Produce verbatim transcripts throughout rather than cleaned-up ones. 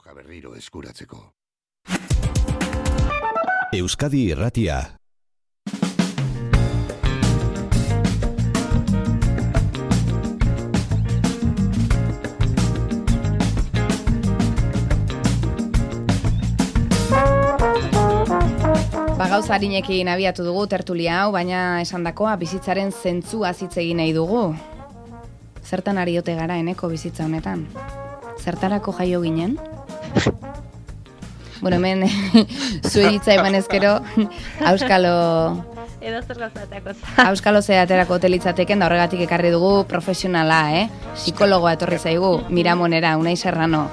Droga berriro eskuratzeko. Euskadi Irratia. Ba, gauza harinekin abiatu dugu tertulia hau, baina esandakoa bizitzaren zentzua hitz egin nahi dugu. Zertan ari ote gara eneko bizitza honetan? Zertarako jaio ginen? Bueno, hemen zuei hitza eman ezkero, auskalo... Edo zer gauzateako. Auskalo zeaterako hotelitzateken, da horregatik ekarri dugu profesionala, eh? Psikologoa etorri zaigu, Miramonera, Unai Serrano.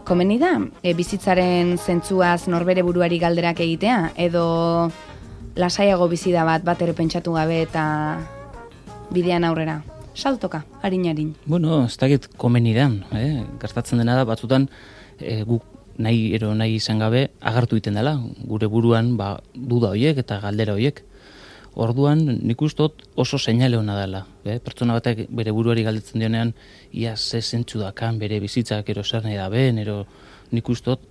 Komeni da, e, bizitzaren zentzuaz norbere buruari galderak egitea, edo lasaiago bizida bat bat ere pentsatu gabe eta bidean aurrera. Saltoka, harin-harin. Bueno, ez dakit komeni dan, eh? Gertatzen dena da, batzutan e, guk nahi ero nahi izan gabe agartu egiten dela, gure buruan ba, duda horiek eta galdera horiek. Orduan, nik ustot oso seinale hona dela. Eh? Pertsona batek bere buruari galdetzen dionean, ia ze zentzu dakan bere bizitzak ero zer nahi da ben, ero nik ustot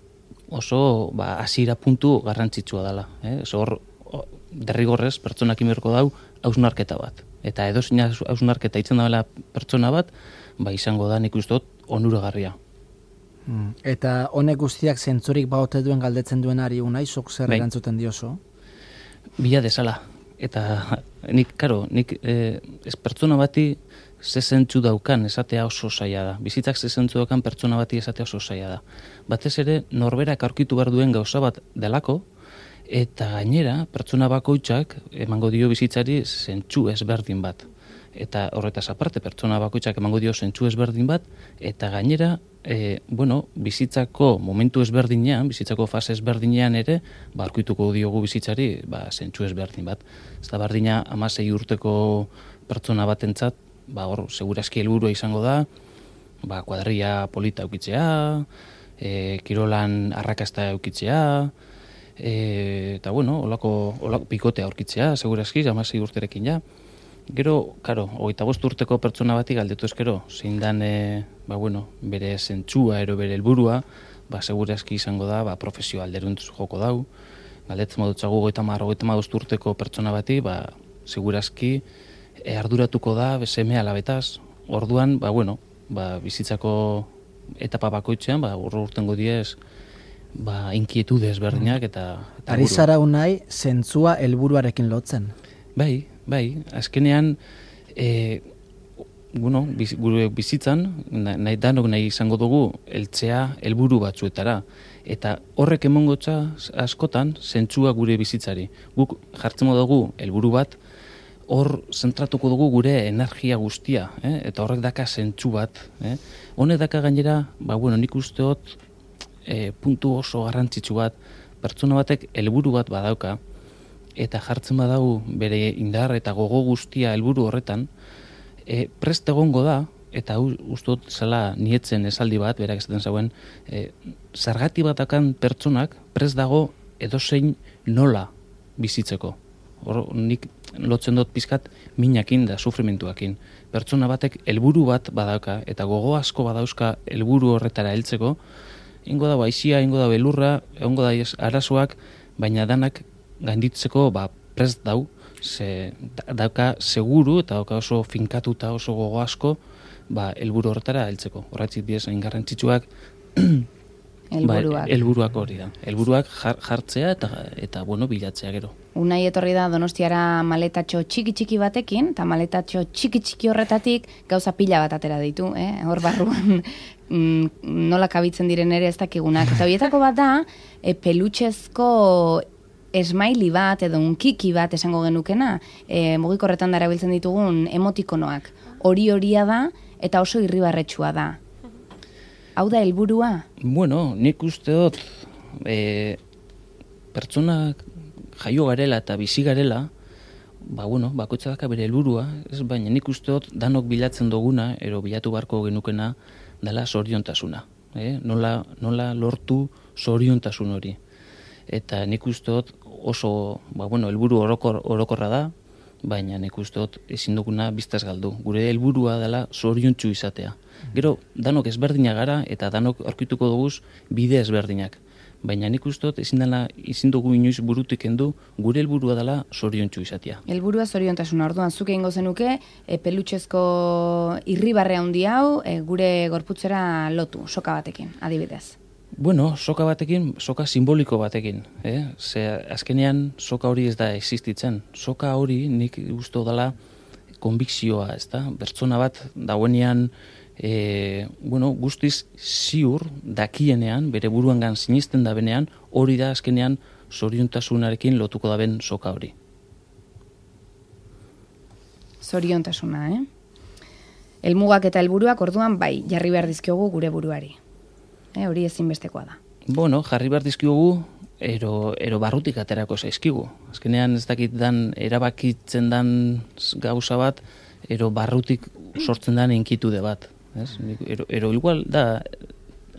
oso ba, hasiera puntu garrantzitsua dela. Eh? Hor, derrigorrez, pertsonak imerko dau, hausnarketa bat. Eta edo zina hausnarketa itzen dela pertsona bat, ba izango da nik ustot onuragarria. Hmm. Eta honek guztiak zentzurik baote duen galdetzen duenari unai, zok zer Bai. erantzuten dioso? Bila desala. Eta nik, karo, nik eh, ez pertsona bati ze zentzu daukan esatea oso zaila da. Bizitzak ze zentzu daukan pertsona bati esatea oso zaila da. Batez ere, norberak aurkitu behar duen gauza bat delako, eta gainera, pertsona bakoitzak emango dio bizitzari zentzu ezberdin bat. Eta horretaz aparte, pertsona bakoitzak emango dio zentzu ezberdin bat, eta gainera, e, bueno, bizitzako momentu ezberdinean, bizitzako fase ezberdinean ere, ba, aurkituko diogu bizitzari, ba, zentzu ezberdin bat. Ez da berdina hamasei urteko pertsona batentzat, ba, hor, segurazki helburua izango da, ba, kuadrilla polita eukitzea, e, kirolan arrakasta eukitzea, e, eta, bueno, olako, olako pikotea aurkitzea, segurazki, hamasei urterekin ja. Gero, karo, hogeita bost urteko pertsona bati galdetu ezkero, zein dan, e, ba, bueno, bere zentzua, ero bere helburua, ba, segurazki izango da, ba, profesio alderuntz joko dau. Galdetzen modutzagu hogeita mar, hogeita bost urteko pertsona bati, ba, segurazki e, arduratuko da, seme alabetaz. Orduan, ba, bueno, ba, bizitzako etapa bakoitzean, ba, urro urtengo diez, ba, inkietude ezberdinak eta... eta Ari zara unai, zentzua helburuarekin lotzen. Bai, bai, azkenean, e, bueno, biz, gure bizitzan, nahi danok nahi izango dugu, heltzea helburu batzuetara. Eta horrek emongotza askotan, zentzua gure bizitzari. Guk jartzen dugu helburu bat, hor zentratuko dugu gure energia guztia, eh? Eta horrek daka zentzu bat. Eh? Honek daka gainera, ba, bueno, nik usteot, e, puntu oso garrantzitsu bat, pertsona batek helburu bat badauka, eta jartzen badau bere indar eta gogo guztia helburu horretan, e, prest egongo da, eta ustot zela nietzen esaldi bat, berak esaten zauen, e, zergati batakan pertsonak prest dago edozein nola bizitzeko. Hor, nik lotzen dut pizkat minakin da sufrimentuakin. Pertsona batek helburu bat badauka, eta gogo asko badauzka helburu horretara heltzeko, ingo da baizia, ingo da belurra, ingo da arazoak, baina danak gainditzeko ba, prest dau, ze, dauka seguru eta dauka oso finkatuta oso gogo asko ba, helburu horretara heltzeko. Horretzik diez, hain garrantzitsuak Helburuak. Ba, helburuak hori da. Helburuak jartzea eta, eta bueno, bilatzea gero. Unai etorri da Donostiara maletatxo txiki-txiki batekin, eta maletatxo txiki-txiki horretatik gauza pila bat atera ditu, eh? Hor barruan nola kabitzen diren ere ez dakigunak. Eta horietako bat da, e, pelutxezko esmaili bat edo unkiki bat esango genukena, e, mugikorretan dara biltzen ditugun emotikonoak. Hori horia da eta oso irribarretsua da. Hau da helburua? Bueno, nik uste dut e, pertsonak jaio garela eta bizi garela, ba, bueno, bakoitza daka bere helburua, ez, baina nik uste dut danok bilatzen duguna, ero bilatu barko genukena, dela zoriontasuna. Eh? Nola, nola lortu zoriontasun hori. Eta nik uste dut oso, ba, bueno, helburu orokor, orokorra da, baina nik uste dut ezin duguna biztaz galdu. Gure helburua dela zoriontsu izatea. Gero, danok ezberdinak gara eta danok aurkituko duguz bide ezberdinak. Baina nik uste dut ezin dela, ezin dugu inoiz burutik kendu, gure helburua dela zoriontsu izatea. Helburua zoriontasuna. Orduan zuk egingo zenuke e, pelutxezko irribarre handi hau e, gure gorputzera lotu, soka batekin, adibidez. Bueno, soka batekin, soka simboliko batekin. Eh? Ze azkenean soka hori ez da existitzen. Soka hori nik uste dela konbikzioa, ez da? Pertsona bat dauenean E, bueno, guztiz ziur dakienean, bere buruangan sinisten da benean, hori da azkenean zoriontasunarekin lotuko da ben soka hori. Zoriontasuna, eh? Helmugak eta helburuak orduan bai, jarri behar dizkiogu gure buruari. Eh, hori ezinbestekoa da. Bueno, jarri behar dizkiogu, ero, ero barrutik aterako zaizkigu. Azkenean ez dakit dan, erabakitzen dan gauza bat, ero barrutik sortzen dan inkitude bat. Ez? Ero, ero igual da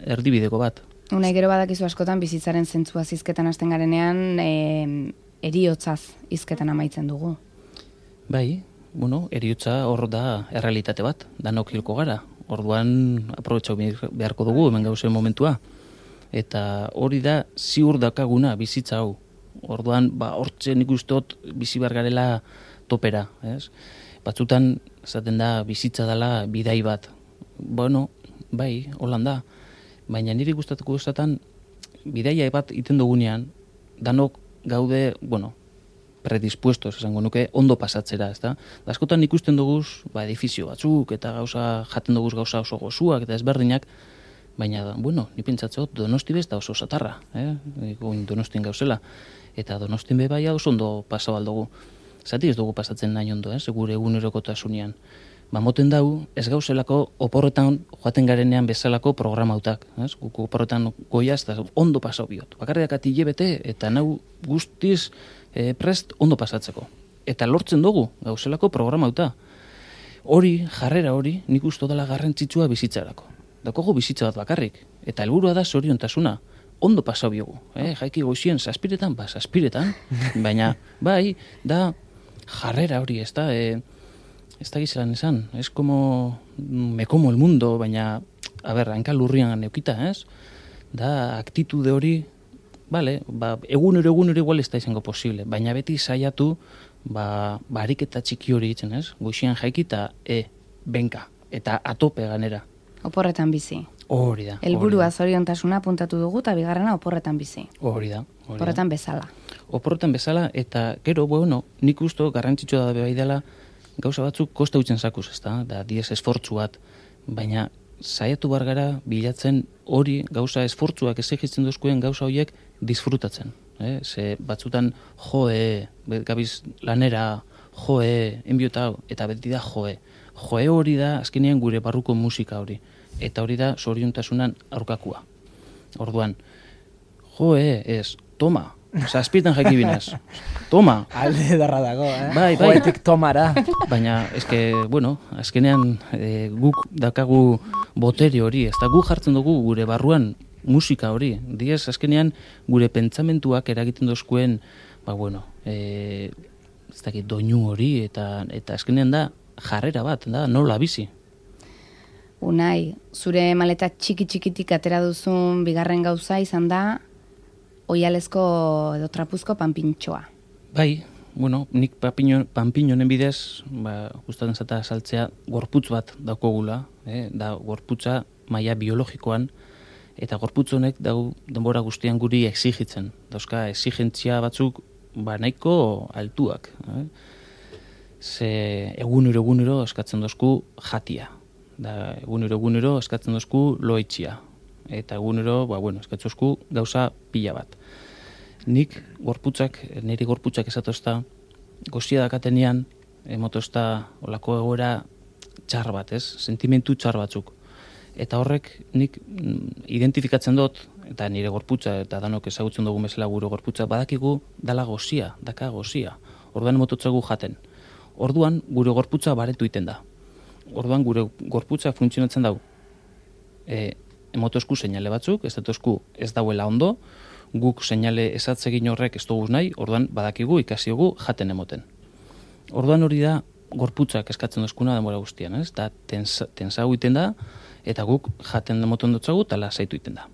erdibideko bat. Unai gero badakizu askotan bizitzaren zentzua hizketan hasten garenean e, eriotzaz hizketan amaitzen dugu. Bai, bueno, eriotza hor da errealitate bat, danok hilko gara. Orduan aprobetxau beharko dugu hemen gauzen momentua. Eta hori da ziur dakaguna bizitza hau. Orduan, ba, hortze nik ustot bizi behar garela topera. Ez? Batzutan, esaten da, bizitza dela bidai bat. Bueno, bai, holan da. Baina niri gustatuko esaten bidaia bat iten dugunean, danok gaude, bueno, predispuestos, esango nuke, ondo pasatzera, ezta? Da askotan ikusten duguz, ba, edifizio batzuk, eta gauza, jaten duguz gauza oso gozuak, eta ezberdinak, baina, bueno, ni pentsatzeo, Donosti bez da oso satarra, eh? Goin Donostien gauzela, eta Donostien be bai oso ondo pasabal dugu. Zati ez dugu pasatzen nahi ondo, eh? Gure egunerokotasunean. Ba, moten dau, ez gauzelako oporretan joaten garenean bezalako programautak. Ez? Guku oporretan goiaz, eta ondo pasau biot. Bakarriak ati hilebete, eta nau guztiz e, prest ondo pasatzeko. Eta lortzen dugu gauzelako programauta. Hori, jarrera hori, nik usto dela garrantzitsua bizitzarako. Dakogu bizitza bat bakarrik. Eta helburua da zoriontasuna. Ondo pasau biogu. Eh? Jaiki goizien, saspiretan, ba, saspiretan. Baina, bai, da jarrera hori, ez da... E, ez da gizelan esan, ez como me como el mundo, baina, a ber, hanka lurrian neukita, ez? Da, aktitude hori, bale, ba, egunero egunero igual ez da izango posible, baina beti saiatu, ba, barik eta txiki hori itzen, ez? Goixian jaikita, e, benka, eta atope ganera. Oporretan bizi. Hori da. Helburua zoriontasuna puntatu dugu, eta bigarrena oporretan bizi. Hori da. Oporretan bezala. Oporretan bezala, eta gero, bueno, nik usto garrantzitsua da bai dela, gauza batzuk kosta utzen zakuz, ez da, da diez esfortzu bat, baina saiatu bar gara bilatzen hori gauza esfortzuak exigitzen duzkuen gauza horiek disfrutatzen. Eh? Ze batzutan joe, gabiz lanera, joe, enbiota hau, eta beti da joe. Joe hori da azkenean gure barruko musika hori, eta hori da zoriontasunan aurkakua. Orduan, joe ez, toma, zazpietan jakibinez. Toma. Alde darra dago, eh? Bai, bai. Joetik tomara. Baina, eske, bueno, azkenean e, guk dakagu botere hori, ez da guk jartzen dugu gure barruan musika hori. Diez, azkenean gure pentsamentuak eragiten dozkuen, ba, bueno, e, ez dakit, doinu hori, eta, eta azkenean da jarrera bat, da nola bizi. Unai, zure maleta txiki-txikitik atera duzun bigarren gauza izan da oialezko edo trapuzko panpintxoa. Bai, bueno, nik panpinonen bidez, ba, gustatzen zata saltzea gorputz bat daukogula, eh? Da gorputza maila biologikoan, eta gorputz honek dau denbora guztian guri exigitzen. Dauzka exigentzia batzuk ba nahiko altuak. Eh? Ze egunero egunero eskatzen dozku jatia. Da egunero egunero eskatzen dozku loitxia. Eta egunero, ba, bueno, eskatzozku gauza pila bat. Nik gorputzak, niri gorputzak esatozta, gozia dakatenean, emotozta olako egoera txar bat, ez? Sentimentu txar batzuk. Eta horrek nik identifikatzen dut, eta nire gorputza, eta danok ezagutzen dugu bezala gure gorputza, badakigu dala gozia, daka gozia. Orduan emototzagu jaten. Orduan gure gorputza baretu iten da. Orduan gure gorputza funtzionatzen dau. E, emotozku seinale batzuk, ez datozku ez dauela ondo, guk seinale esatzegin horrek ez dugu nahi, orduan badakigu ikasi dugu jaten emoten. Orduan hori da gorputzak eskatzen dozkuna denbora guztian, ez? Da tensa, tensa egiten da, eta guk jaten moton dutzagu, eta lasaitu egiten da.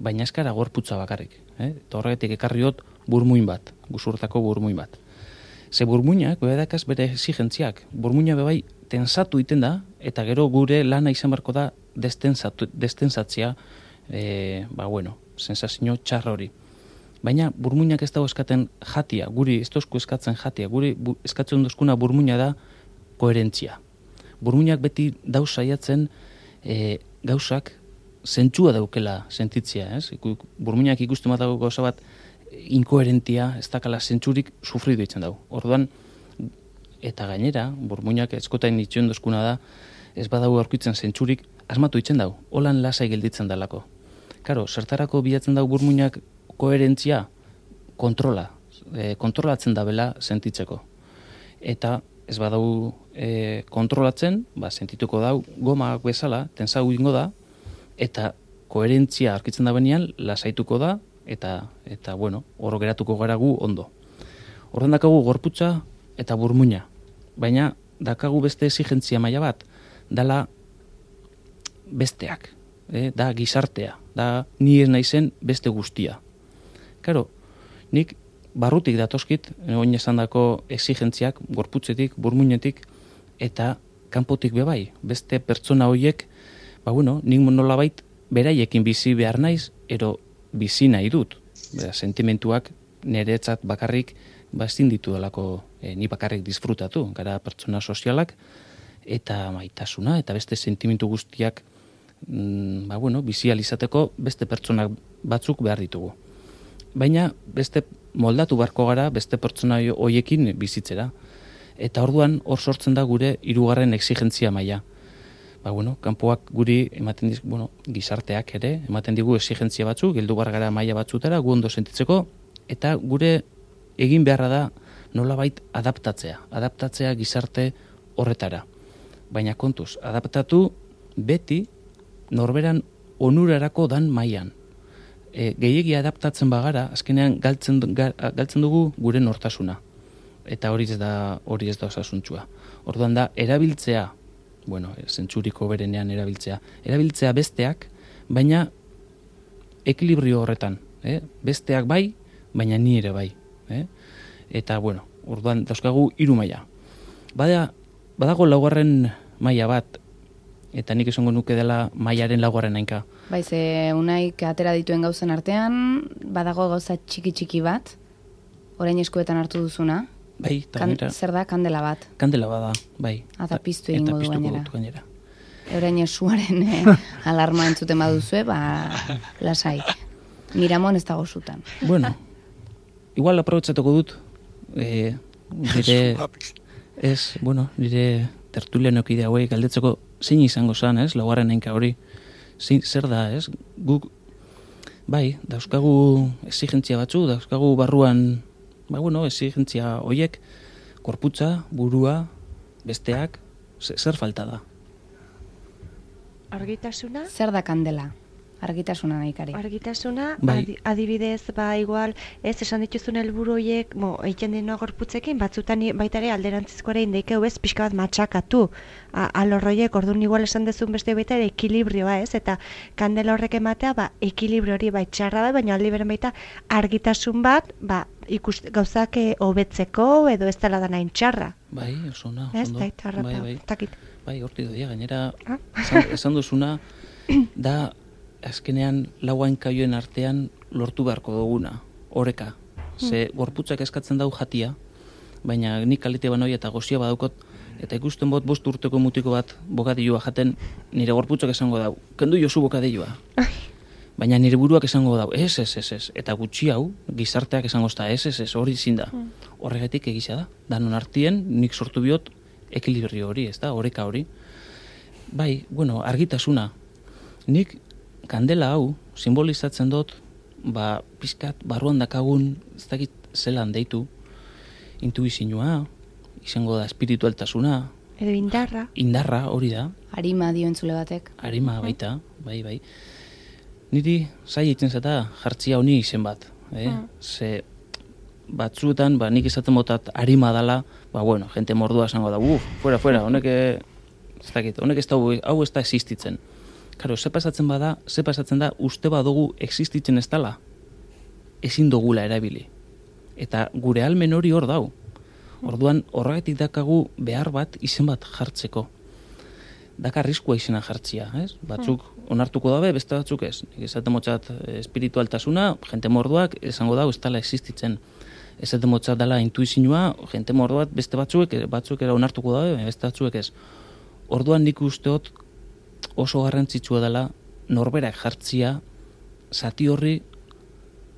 Baina eskara gorputza bakarrik. Eh? Eta horregatik ekarri dut burmuin bat, guzurtako burmuin bat. Ze burmuinak, bedakaz bere exigentziak, burmuina bebai tensatu egiten da, eta gero gure lana izan barko da destensatzia, e, ba bueno, sensazio txarra hori. Baina burmuinak ez dago eskaten jatia, guri ez dozku eskatzen jatia, guri bu, eskatzen dozkuna burmuina da koherentzia. Burmuinak beti dauz saiatzen e, gauzak zentzua daukela sentitzia, ez? Burmuinak ikusten bat dago gauza bat inkoherentia, ez dakala zentzurik sufridu itzen dago. Orduan, eta gainera, burmuinak eskotain itxuen dozkuna da, ez badago aurkitzen zentzurik asmatu itzen dago, holan lasai gelditzen dalako. Karo, zertarako bilatzen dago burmuinak koherentzia, kontrola, e, kontrolatzen dabela sentitzeko. Eta ez badau e, kontrolatzen, ba, sentituko dau gomak bezala, tensau ingo da, eta koherentzia arkitzen da benean, lasaituko da, eta, eta bueno, oro geratuko gara gu ondo. Horren dakagu gorputza eta burmuina, baina dakagu beste exigentzia maila bat, dala besteak, e, da gizartea, da ni ez naizen beste guztia. Karo, nik barrutik datoskit, oin esan dako exigentziak, gorputzetik, burmuinetik, eta kanpotik bebai, beste pertsona horiek, ba bueno, nik nolabait beraiekin bizi behar naiz, ero bizi nahi dut. Bera, sentimentuak niretzat bakarrik, ba ezin ditu delako, e, ni bakarrik disfrutatu, gara pertsona sozialak, eta maitasuna, eta beste sentimentu guztiak, mm, ba bueno, bizi alizateko beste pertsonak batzuk behar ditugu. Baina beste moldatu barko gara beste pertsona hoiekin bizitzera. Eta orduan hor sortzen da gure hirugarren exigentzia maila. Ba bueno, kanpoak guri ematen diz, bueno, gizarteak ere ematen digu exigentzia batzuk, heldu bar gara maila batzutara gu ondo sentitzeko, eta gure egin beharra da nolabait adaptatzea, adaptatzea gizarte horretara. Baina kontuz, adaptatu beti norberan onurarako dan mailan. E, gehiegi adaptatzen bagara, azkenean galtzen, ga, galtzen dugu gure nortasuna. Eta hori ez da hori ez da osasuntsua. Orduan da, erabiltzea, bueno, zentzuriko berenean erabiltzea, erabiltzea besteak, baina ekilibrio horretan. Eh? Besteak bai, baina ni ere bai. Eh? Eta, bueno, orduan dauzkagu hiru maila. Bada, badago laugarren maila bat, eta nik esango nuke dela mailaren laugarren hainka. Bai, ze unaik atera dituen gauzen artean, badago gauza txiki-txiki bat, orain eskuetan hartu duzuna. Bai, eta kan, gainera. Zer da, kandela bat. Kandela bada, bai. Eta piztu egingo du gainera. Dut gainera. Orain esuaren eh, alarma entzuten baduzue, ba, lasai. Miramon ez dago zutan. Bueno, igual aprobetxatuko dut, eh, nire, ez, bueno, nire tertulianokide hauei galdetzeko zein izango zan, ez, laugarren hainka hori, zein, zer da, ez, guk, bai, dauzkagu exigentzia batzu, dauzkagu barruan, ba, bueno, exigentzia horiek, korputza, burua, besteak, zer falta da? Argitasuna? Zer da kandela? Argitasuna nahikari. Argitasuna, Bai. adi, adibidez, ba, igual, ez, esan dituzun helburu horiek, mo, egiten dena gorputzekin, batzutan i- baita ere alderantzizko ere indeikeu ez, pixka bat matxakatu, A- alorroiek, orduan igual esan dezun beste baita ere ekilibrioa, ez, eta kandela horrek ematea, ba, ekilibrio hori bai txarra da, baina aldi beren baita argitasun bat, ba, ikust, gauzak eh, hobetzeko edo ez dela da nahin txarra. Bai, oso ona, Ez, oso ondo. da, txarra, Bai, eta, bai. takit. Bai, horti doia, gainera, Ah. esan, esan duzuna, da, azkenean, lauain kaioen artean lortu beharko duguna, oreka. Ze, gorputzak eskatzen dau jatia, baina nik kalite banoi eta gozia badaukot, eta ikusten bot bost urteko mutiko bat bokadilloa jaten, nire gorputzak esango dau, kendu jozu bokadilloa. Baina nire buruak esango dau, ez, ez, ez, ez, eta gutxi hau, gizarteak esango zta, ez, ez, ez, hori zin da. Horregatik egisa da, danon artien, nik sortu biot, ekilibrio hori, ez da, oreka hori. Bai, bueno, argitasuna. Nik kandela hau simbolizatzen dut, ba, pizkat, barruan dakagun, ez dakit zelan deitu, intuizioa, izango da espiritualtasuna, Edo indarra. indarra hori da, Arima dio entzule batek. arima baita, bai, bai. Niri zai egiten zata jartzia honi izen bat, eh? Mm. Ze batzuetan, ba, nik izaten motat harima dala, ba, bueno, jente mordua esango da, uf, fuera, fuera, honek, ez dakit, honek ez da, hau ez da existitzen. Karo, ze pasatzen bada, ze pasatzen da, uste badugu existitzen ez dala, ezin dugula erabili. Eta gure almen hori hor dau. Orduan, horregatik dakagu behar bat, izen bat jartzeko. Daka arriskua izena jartzia, ez? Batzuk onartuko dabe, beste batzuk ez. Nik esaten motzat espiritualtasuna, jente morduak, esango dau, ez dala existitzen. Esaten motzat dela intuizioa, jente morduak, beste batzuek, batzuk era onartuko dabe, beste batzuek ez. Orduan nik usteot oso garrantzitsua dela norberak jartzia zati horri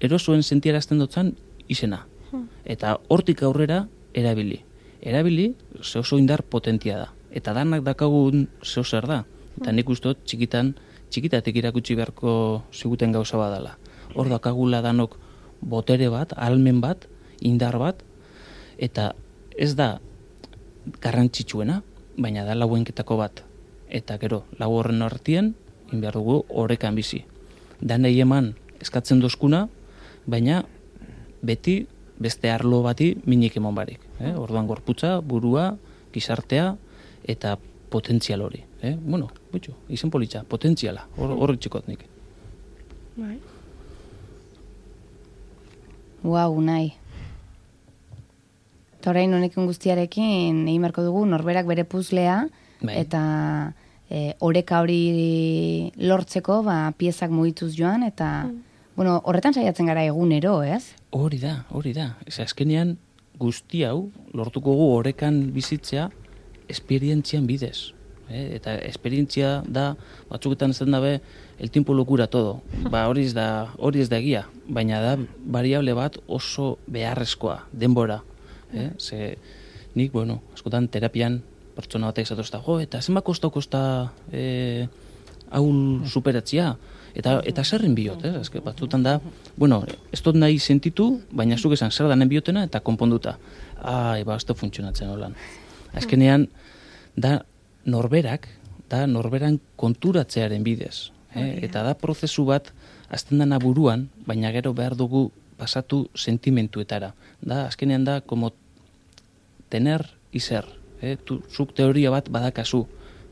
erosoen sentiarazten dutzen izena. Eta hortik aurrera erabili. Erabili ze oso indar potentia da. Eta danak dakagun zeo zer da. Eta nik usteot txikitan, txikitatik irakutsi beharko ziguten gauza badala. Hor dakagula danok botere bat, almen bat, indar bat, eta ez da garrantzitsuena, baina da lauenketako bat. Eta gero, lau horren artien, inbehar dugu orekan bizi. Danei eman eskatzen dozkuna, baina beti beste arlo bati minik emon barik. Eh? Orduan gorputza, burua, gizartea, eta potentzial hori. Eh? Bueno, bitxo, izen politxa, potentziala, horri txikot nik. Bai. Uau, nahi. Eta orain honekin guztiarekin, egin beharko dugu norberak bere puzlea, bai. Eta e, oreka hori lortzeko, ba, piezak mugituz joan, eta mm. bueno, horretan saiatzen gara egunero, ez? Hori da, hori da. Ez azkenean guzti hau lortuko gu orekan bizitzea esperientzian bidez. Eh? Eta esperientzia da, batzuketan ez dabe, el tiempo lo cura todo. Ba, hori ez da, hori ez da egia, baina da variable bat oso beharrezkoa, denbora. Eh? Ze, nik, bueno, askotan terapian pertsona batek zatozta, jo, eta zenba kosta-kosta eh, haul superatzia, eta, eta zerren biot, eh? Azke, batzutan da, bueno, ez dut nahi sentitu, baina zuk esan zer danen biotena eta konponduta. Ai, ba, ez da funtzionatzen holan. Azkenean, da norberak, da norberan konturatzearen bidez. Eh? Eta da prozesu bat, azten dana buruan, baina gero behar dugu pasatu sentimentuetara. Da, azkenean da, como tener y ser. Eh? Tu, zuk teoria bat badakazu,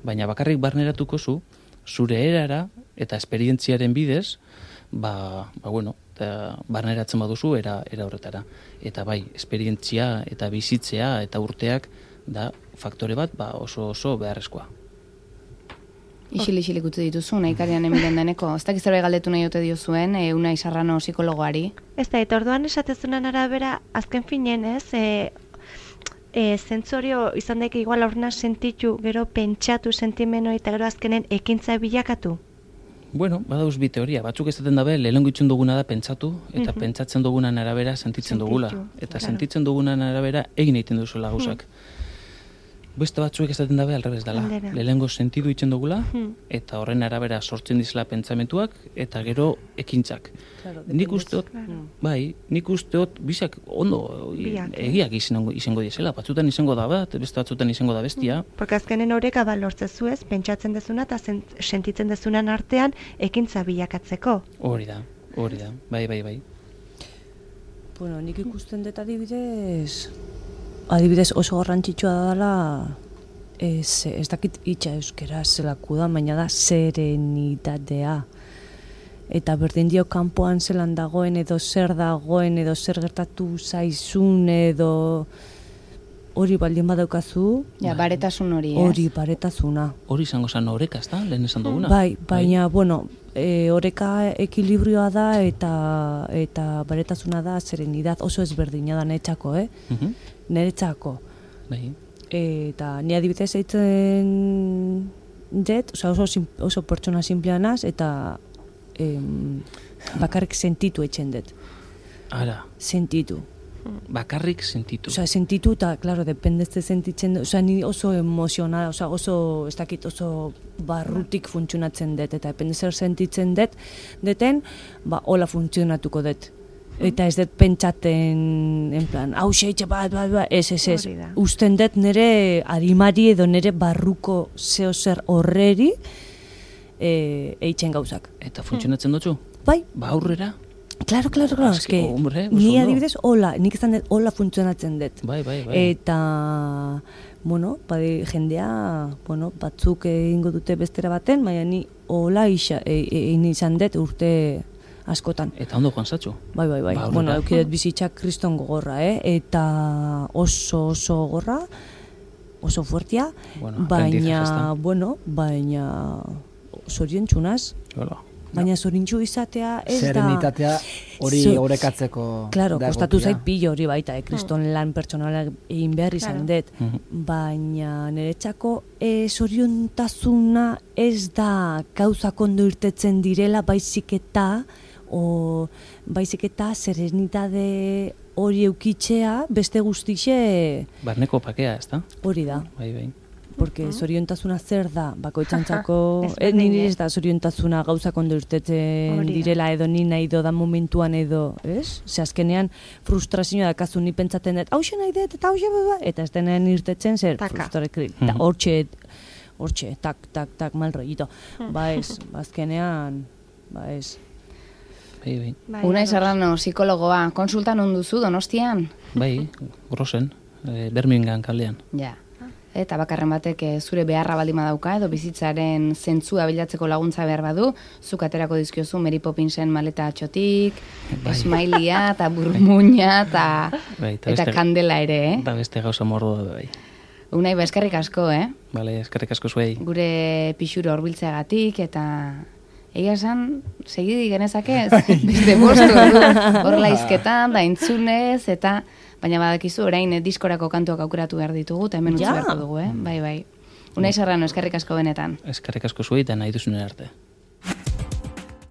baina bakarrik barneratuko zu, zure erara eta esperientziaren bidez, ba, ba bueno, eta barneratzen baduzu era, era horretara. Eta bai, esperientzia eta bizitzea eta urteak da faktore bat ba, oso oso beharrezkoa. Isil-isilik utzi dituzu, nahi karian emilen deneko. Ez dakiz zerbait galdetu nahi ote diozuen, e, Unai Sarrano psikologoari. Ez da, eta orduan esatezunan arabera, azken finen ez, e, e, zentzorio izan daik igual aurrena sentitu, gero pentsatu sentimeno eta gero azkenen ekintza bilakatu? Bueno, badauz bi teoria. Batzuk esaten dabe, lehenengo itxun duguna da pentsatu, eta uh-huh. pentsatzen dugunan arabera sentitzen Sentitu, dugula. Eta claro. Sentitzen dugunan arabera egin egiten duzuela gauzak. Uh-huh. Beste batzuek esaten dabe alrebez dela. Lehenengo sentidu itzen dugula, uh-huh. eta horren arabera sortzen dizela pentsamentuak, eta gero ekintzak. Claro, nik usteot, claro. bai, nik usteot, bizak ondo Biak, egiak izango, izango dizela. Batzutan izango da bat, beste batzutan izango da bestia. Uh-huh. Porque azkenen horreka da lortzezu ez, pentsatzen dezuna eta sentitzen dezunan artean ekintza bilakatzeko. Hori da, hori da, bai, bai, bai. Bueno, nik ikusten dut adibidez... Adibidez oso garrantzitsua dela, ez, ez dakit hitza euskera zelaku da, baina da serenitatea. Eta berdin dio kanpoan zelan dagoen, edo zer dagoen, edo zer gertatu zaizun, edo hori baldin badaukazu. Ja, baretasun hori, ez? Hori, baretasuna. Hori izango zan oreka, ez da? Lehen esan duguna. Bai, baina, bai. bueno, e, oreka ekilibrioa da, eta eta baretasuna da serenidad oso ezberdina da netxako, eh? Uh-huh. Neretzako. Bai. Eta ni adibidez eitzen jet, oso, oso pertsona simpleanaz, eta em, bakarrik sentitu eitzen dut. Ara. Sentitu. Bakarrik sentitu. Osa, sentitu eta, klaro, dependezte sentitzen dut. Osa, ni oso emozional, osa, oso, ez dakit, oso barrutik funtzionatzen dut. Eta dependezer sentitzen dut, deten, ba, hola funtzionatuko dut. Eta ez dut pentsaten, en plan, hau seitxe bat, bat, bat, ez, ez, ez. Usten dut nire arimari edo nire barruko zeo zer horreri e, eitzen gauzak. Eta funtzionatzen dutzu? Bai. Ba aurrera? Claro, claro, claro, Azke, eske, hombre, oso ni ondo. adibidez, hola, nik izan dut, hola funtzionatzen dut. Bai, bai, bai. Eta, bueno, badi, jendea, bueno, batzuk egingo dute bestera baten, baina ni hola isa, e, e, egin izan dut urte askotan. Eta ondo joan zatxo. Bai, bai, bai. Ba, Bueno, horrela. eukidet bizitzak kriston gogorra, eh? Eta oso oso gogorra, oso fuertia, Bueno, aprendizaje baina, ezta. bueno, baina zoriontzunaz, Hola. baina zorintxu izatea ez da... Serenitatea hori Zo- orekatzeko Claro, da kostatu egokia. zait pilo hori baita, eh? Kriston lan pertsonalak egin behar izan Claro. dut. Mhm. Baina niretzako e, zoriontasuna ez da gauzak ondo irtetzen direla, baizik eta, o, baizik eta serenidade hori eukitzea, beste guztixe Barneko pakea, ez da? hori da. Bai, bai. Porque zoriontasuna zer da, bakoitzantzako, Ez eh, berdina. nire ez da zoriontasuna gauzak ondo irtetzen Hori da. direla edo ni nahi do da momentuan edo, ez? Ze azkenean frustrazioa dakazu ni pentsaten dut, hauxe nahi dut, eta hauxe beba, eta ez denean irtetzen zer, Taka. frustrazioa, Mhm. hortxe, hortxe, tak, tak, tak, mal rollito. Ba ez, ba azkenean, ba ez. Bai, bai. Bai, Unai ados. Serrano, psikologoa, konsultan onduzu Donostian? Bai, grosen, e, Birmingham kalean. Ja. Eta bakarren batek eh, zure beharra baldin badauka edo bizitzaren zentzua bilatzeko laguntza behar badu, zuk aterako dizkiozu Mary Poppinsen maleta atxotik, Bai. esmailia eta burmuina eta, Bai, eta eta beste- kandela ere, eh? Da beste gauza mordoa da, bai. Unai, ba, eskerrik asko, eh? Bale, eskerrik asko zuei. Gure pixuro horbiltzeagatik eta egia esan, segidi genezake, beste bostu, hor laizketan, da entzunez, eta baina badakizu orain eh, diskorako kantuak aukeratu behar ditugu, eta hemen utzi Ja. beharko dugu, eh? Bai, bai. Unai Serrano, eskerrik asko benetan. Eskerrik asko zuei eta nahi duzunen arte.